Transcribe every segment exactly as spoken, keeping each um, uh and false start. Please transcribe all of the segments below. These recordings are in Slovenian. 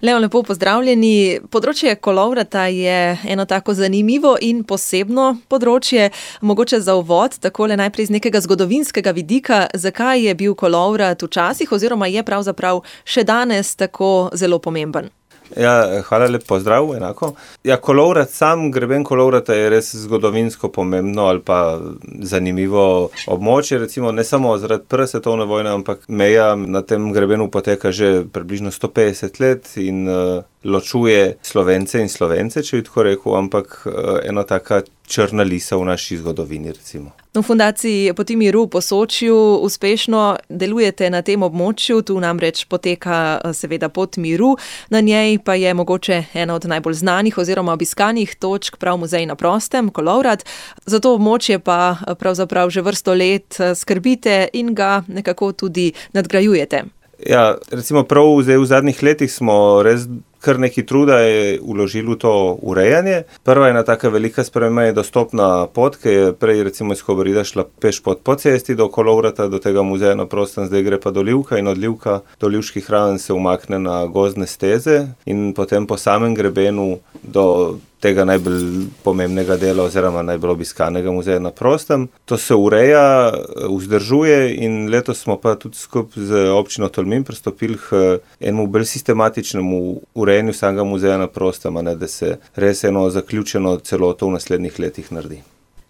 Leon, lepo pozdravljeni. Področje kolovrata je eno tako zanimivo in posebno področje. Mogoče za uvod, takole najprej z nekega zgodovinskega vidika, zakaj je bil kolovrat včasih oziroma je pravzaprav še danes tako zelo pomemben? Ja, hvala, lep pozdrav, enako. Ja, kolovrat, sam greben kolovrata je res zgodovinsko pomembno ali pa zanimivo območje, recimo ne samo zaradi prve svetovne vojne, ampak meja na tem grebenu poteka že približno sto petdeset let in uh, ločuje Slovence in Slovence, če bi tako rekel, ampak uh, ena taka črna lisa v naši zgodovini, recimo. V Fundaciji Poti miru v Posočju uspešno delujete na tem območju, tu namreč poteka seveda Pot miru, na njej pa je mogoče ena od najbolj znanih oziroma obiskanih točk prav Muzej na prostem, kolovrat. Za to območje pa pravzaprav že vrsto let skrbite in ga nekako tudi nadgrajujete. Ja, recimo prav zdaj v zadnjih letih smo res kar nekaj truda je vložili v to urejanje. Prva ena taka velika sprememba je dostopna pot, ki je prej recimo iz Kobarida šla peš pot po cesti do kolovrata, do tega muzeja na prostem, zdaj gre pa do Livka in od Livka do Livških raven se umakne na gozdne steze in potem po samem grebenu do tega najbolj pomembnega dela oziroma najbolj obiskanega muzeja na prostem. To se ureja, vzdržuje in letos smo pa tudi skupaj z občino Tolmin pristopili k enemu bolj sistematičnemu urejanju samega muzeja na prostem, a ne, da se res eno zaključeno celoto v naslednjih letih naredi.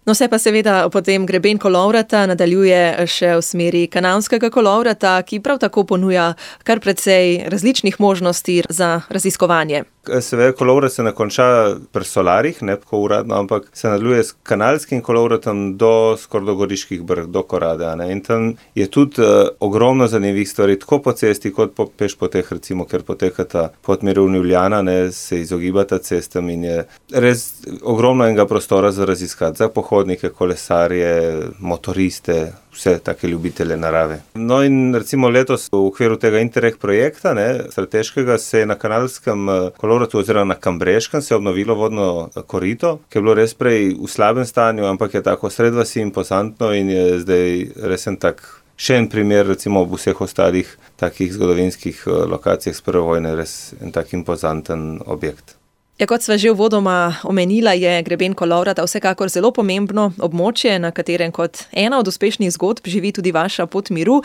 No, se pa seveda potem greben kolovrata nadaljuje še v smeri kanalskega kolovrata, ki prav tako ponuja kar precej različnih možnosti za raziskovanje. Seveda kolovrat se ne konča pri Solarjih, ne tako uradno, ampak se nadaljuje s kanalskim kolovratom do skoraj do Goriških brd, do Korade. Ne? In tam je tudi uh, ogromno zanimivih stvari, tako po cesti kot po peš poteh, recimo, ker potekata Pot miru v Ljubljana, ne, se izogibata cestam in je res ogromno enega prostora za raziskati, za pohodnike, kolesarje, motoriste, vse take ljubitelje narave. No in recimo letos v okviru tega Interreg projekta, ne, strateškega, se je na kanalskem kolovratu oziroma na Kambreškem se je obnovilo vodno korito, ki je bilo res prej v slabem stanju, ampak je tako sred vasi impozantno in je zdaj res en tak še en primer, recimo ob vseh ostalih takih zgodovinskih lokacijah s prve vojne, res en tak impozanten objekt. Ja, kot sva že uvodoma omenila, je greben kolovrata vsekakor zelo pomembno območje, na katerem kot ena od uspešnih zgodb živi tudi vaša Pot miru.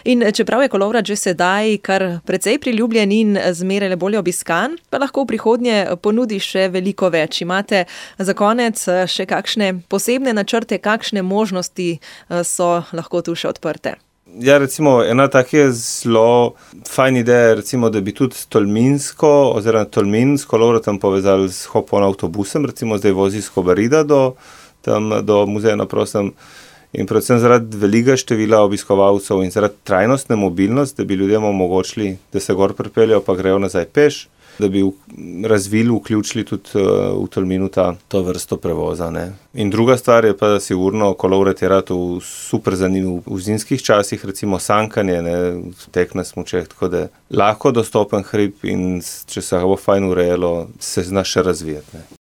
In čeprav je kolovrat že sedaj kar precej priljubljen in zmeraj bolje obiskan, pa lahko v prihodnje ponudi še veliko več. Imate za konec še kakšne posebne načrte, kakšne možnosti so lahko tu še odprte? Ja, recimo, ena taka zelo fajn ideja, recimo, da bi tudi Tolminsko oziroma Tolmin s kolovratom povezali s Hopon avtobusem, recimo zdaj vozi iz Kobarida do, tam, do muzeja na prostem in predvsem zaradi velikega števila obiskovalcev in zaradi trajnostne mobilnosti, da bi ljudem omogočili, da se gor pripeljejo pa grejo nazaj peš, da bi razvili, vključili tudi v Tolminu ta, to vrsto prevoza. Ne. In druga stvar je pa sigurno kolovrat je rad v super zanimiv v zimskih časih, recimo sankanje, ne, tek na smučeh, tako da lahko dostopen hrib in če se ga bo fajn urejalo, se zna še razvijati. Ne.